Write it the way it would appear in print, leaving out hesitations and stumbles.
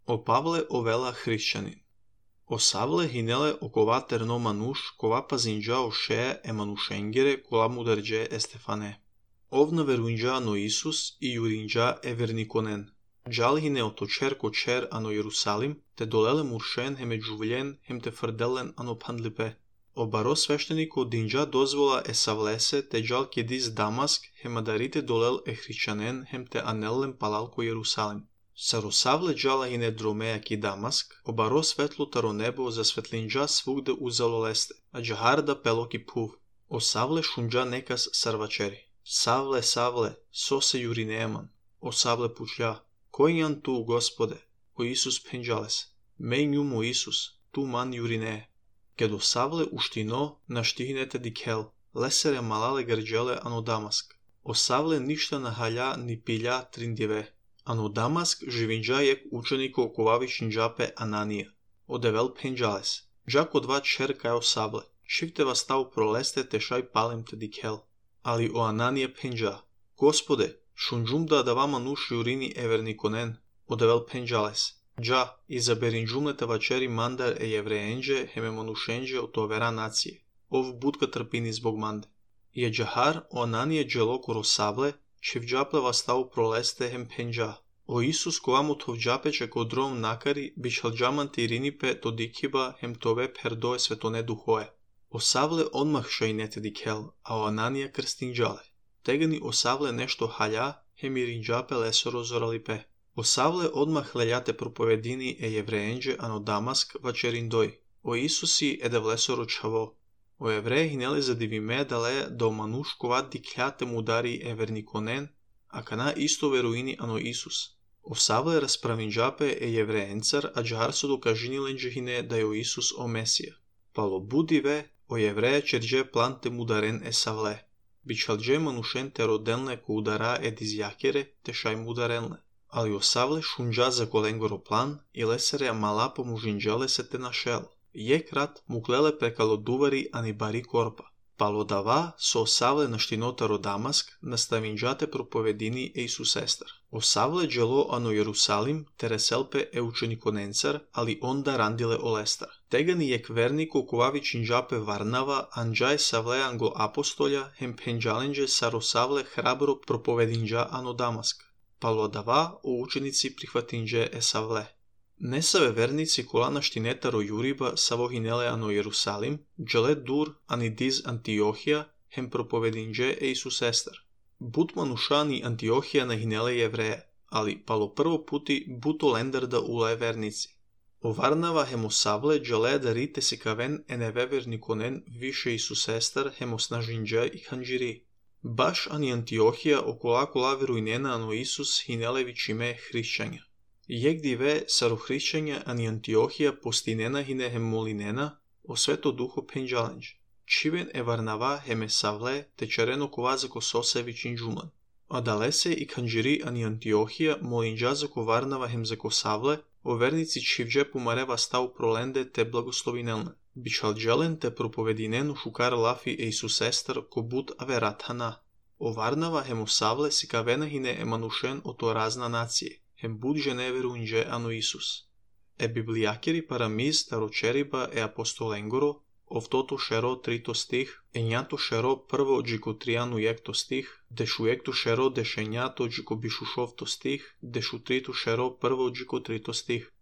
O Pavle ovela hrišćanin. O Savle hinele okova terno manush kova pazinja o šeje e manushengere kola mudarje Estefane. Ovna veruinja ano Isus i jurinja e vernikonen. Gjal hine o točer kočer ano Jerusalim, te dolele muršen heme džuvljen hem te frdelen ano pandlipe. O baro svešteniko dinja dozvola e savlese te gjal kjedis Damask hema darite dolel e hrišćanen hem te anellen palalko Jerusalim. Sarosavle džala hine dromeja ki Damask, obaro svetlo taro nebo za svetlinđa svugde uzalo leste, a džaharda pelo ki puv. O Savle šunđa nekas sarvačeri. Savle, Savle, so se jurineman. O Savle pučja, koji jan tu, Gospode? O Isus penđales. Mej njum o Isus, tu man jurine. Kad o Savle uštino, naštihnete dikel, lesere malale grđele ano Damask. O Savle ništa nahalja ni pilja trindjeve. Ano Damask živinđa jek učeniko kovavišin džape Ananija. Odevel penđales. Džako dva čerka o Savle. Šivteva stav proleste te šaj palem te dikel. Ali o Ananije penđa. Gospode, šunđum da vama nuš jurini evernikonen. Odevel penđales. Dža, izaberin džumlete vačeri mandar e jevreenđe heme manušenđe o tovera nacije. Ov budka trpini zbog mande. Je džahar o Ananije dželo koro Savle, čivđapleva stav proleste hem penđa. O Isus kovamu tovđapeče kodrom nakari bišal džamanti irinipe to dikiba hem tove perdoje svetone duhoje. O Savle odmah šajnete dikel, a o Ananija krstinđale. Tegani o Savle nešto halja hem irinđape lesoro zoralipe. O Savle odmah leljate propovedini e jevreenđe ano Damask vačerindoj. O Isusi edevlesoro čavo. O Evreje hinele zadivime dale do manuš kovat dikljate mudari evernikonen, a kana isto veruini ano Isus. O Savle raspravinđape e jevreencar, a džar su dokažinilenđe hine da je o Isus o Mesija. Palo budive, o Jevreja čerđe plante mudaren e Savle. Bičalđe manušen te rodelne ko udara e dizjakere te šaj mudarenle. Ali o Savle šunđa za kolengoro plan i lesere mala pomužinđale se te našel. Jekrat muklele prekalo duvari ani bari korpa. Palo dava so o Savle naštinotaro Damask nastavinđate propovedini e Isus Estar. O Savle dželo ano Jerusalim tereselpe e učenikonencar, ali onda randile o lestar. Tegani jek verniko kovavičinđape Varnava anđaj Savle anglo apostolja hem penđalenđe saro Savle hrabro propovedinđa ano Damask. Palo dava o učenici prihvatinđe e Savle. Nesave vernici kola naštinetaro Juriba savohinele ano Jerusalim, džele dur ani diz Antiohija, hem propovedinđe e Isus Estar. But manušani Antiohija nahinele Jevreje, ali palo prvo puti buto lendarda ulaje vernici. O Varnava hem o Savle džele da rite si kaven eneve vernikonen više Isus Estar hem o snažinđa i hanđiri. Baš ani Antiohija okola kola veruinena ano Isus hinele vičime hrišćanja. Jek dive saro hrišćanja ani Antiohija postinena hine hem molinena o sveto duho penđalenđ. Čiven e Varnava heme Savle te čareno kovazako sosevićin džumlan. A dalese i kanđiri ani Antiohija molinđa zako Varnava hem zako Savle o vernici čivđe pumareva stav prolende te blagoslovinelne. Bičal dželen te propovedinenu šukar lafi e Isus Estar ko but averatana. O Varnava hem o Savle si kavena hine emanušen o to razna nacije. Hem bud žene veruinđe ano Isus. E biblijakeri paramiz taročeriba e apostolengoro, ovtoto šero trito stih, enjato šero prvo džiko trijanu jekto stih, dešu jekto šero dešenjato džiko bišušovto stih, dešu trito šero prvo džiko trito stih.